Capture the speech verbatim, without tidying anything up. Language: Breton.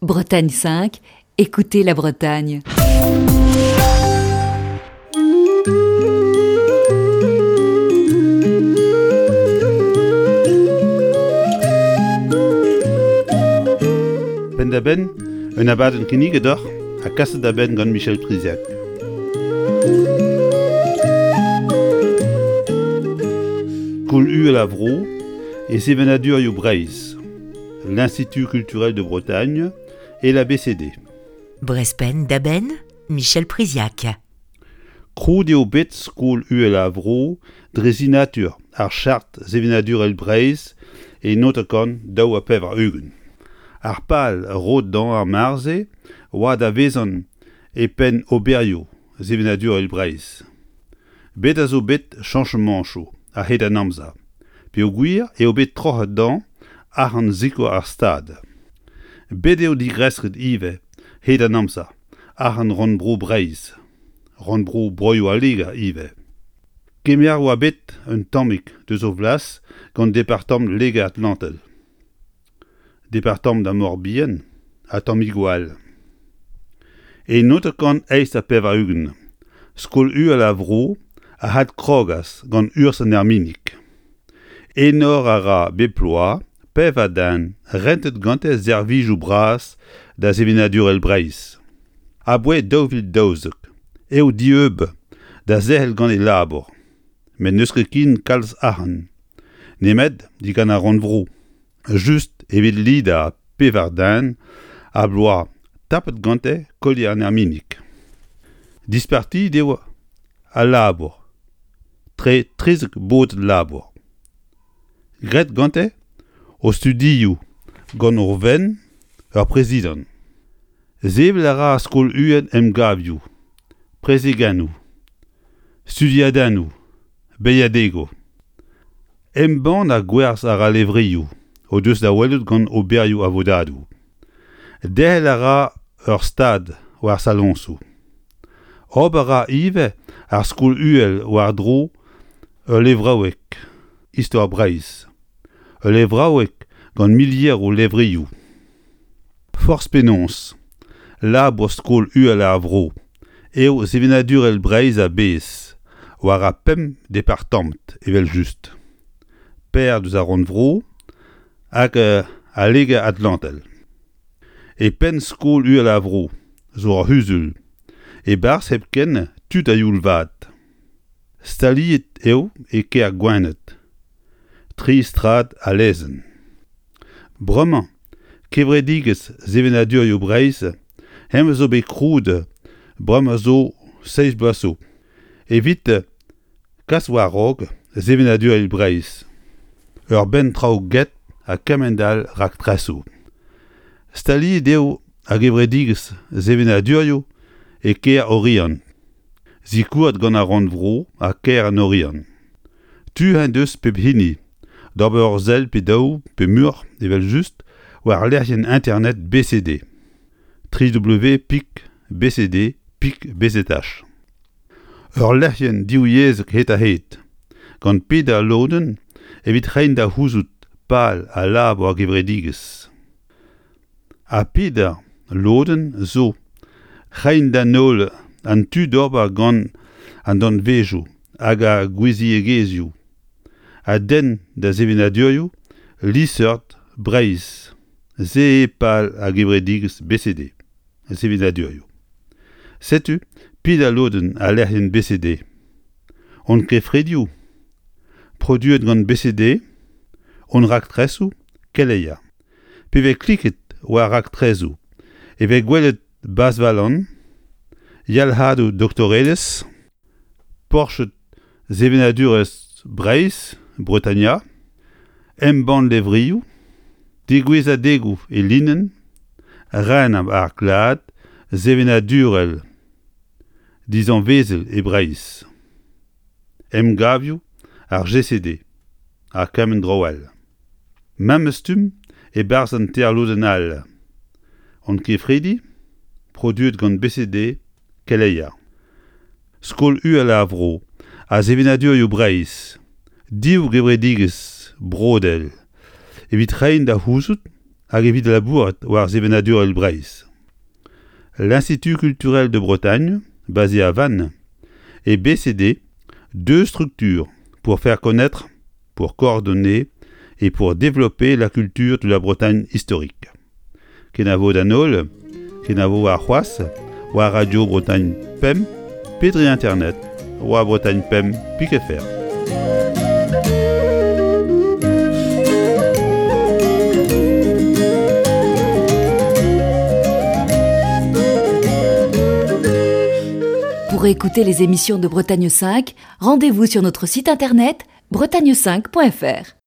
Bretagne cinq, écoutez la Bretagne. Penn-da-benn, un abadenn kinniget deoc'h ha kaset da benn gant Michel Priziac. Skol uhel ar vro e sevenadurioù Breizh, l'Institut culturel de Bretagne et la B C D. Brest Penn-da-Benn, Michel Priziac. Krouet eo bet Skol uhel ar vro dre sinatur ar chart sevenadurel Breizh e naontek daou ha pevar-ugent. Ar pal roet d'an ar marze oa da vezan e penn oberioù sevenadurel Breizh. Bet a zo bet chañchamanchoù a-hed an amzer, peogwir eo bet troc'het d'an arc'hant sikour ar Stad. Bet eo digresket ivez hed an amzer arc'hant rannvro Breizh, rannvro Broioù al Liger ivez. Kemer oa bet un tammig deus o vlas gant departamant Liger-Atlantel. Departamant ar Mor-Bihan ha tammigoù all. E naontek eizh ha pevar-ugent, Skol uhel ar vro a adkrogas gant urzh an Erminig. Enor a ra bep bloaz pevar den rentet gante servijoù bras da sevenadurel Breizh. Aboae daou vil daouzek eo dieub da zerc'hel gant e labour, met n'eus ket ken kalz arc'hant, nemet digant ar rannvro, just evit lidañ pevar den a bloaz tapet gante kolier an Erminig. Dispartiet eo al labour, tre trizek bod labour. Graet gante o studioù gant ur venn ur prezidant. Sevel a ra skol uhel emgavioù, prezegennoù, studiadennoù, beilhadegoù. Embann ha gwerzh a ra levrioù o deus da welout gant oberioù a vodadoù. Derc'hel a ra ur stad war saloñsoù. Ober a ra ivez ar skol uhel war-dro ul levraoueg, Istor Breizh. Ul levraoueg gant milieroù levrioù. Forzh penaos, labour skol uhel ar vro eo sevenadurel Breizh a-bezh, war ar pemp departamant evel-just. Per deus ar rannvro hag al Liger-Atlantel. E penn skol uhel ar vro zo ur c'huzul, e-barzh hepken tud a-youl vat. Staliet eo e kêr Gwened, tri strad a lezenn. Bremañ, kevredigezh sevenadurioù Breizh hemañ zo bet krouet bremañ zo seizh bloaz zo. Evit kas war-raok sevenadurioù Breizh. Ur bern traoù get ha kement all raktresoù. Staliet eo ar gevredigezh sevenadurioù e kêr Oriant. Sikouret gant ar rannvro ha kêr an Oriant. Tu en deus pep hini d'ober ur sell pe daou pe muioc'h evel-just war lec'hienn internet B C D. tri W pik B C D pik B Z H. Ur lec'hienn divyezhek hed-ha-hed, gant peder lodenn evit reiñ da c'houzout pal ha labour ar gevredigezh. Ha peder lodenn zo reiñ d'an holl an tu d'ober gant an danvezioù hag ar gouiziegezhioù a denn da sevenadurioù liesseurt Breizh. Se eo pal ar gevredigezh B C D, sevenadurioù. Setu peder lodenn al lec'hienn B C D. Hon kefridioù, produet gant B C D, hon raktresoù, keleier. Pe vez kliket war raktresoù e vez gwelet Bazhvalan, yalc'hadoù doktorelezh, porched sevenadurezh Breizh, Bretania, embann levrioù, degouezhadegoù e linenn, ren ar glad sevenadurel dizanvezel e Breizh. Emgavioù ar G C D ha kement dro all. Memes stumm e-barzh an teir lodenn all. Hon kefridi, produet gant B C D, keleier. Skol uhel ar vro ha sevenadurioù Breizh, div gevredigezh brodel evit reiñ da c'houzout hag evit labourat war sevenadur Breizh. L'Institut culturel de Bretagne, basé à Vannes, et B C D, deux structures pour faire connaître, pour coordonner et pour développer la culture de la Bretagne historique. Kenavo d'an holl, kenavo warc'hoazh, war Radio Bretagne Pemp, pe dre internet, war Bretagne Pemp pik F R. Pour écouter les émissions de Bretagne cinq, rendez-vous sur notre site internet bretagne cinq point F R.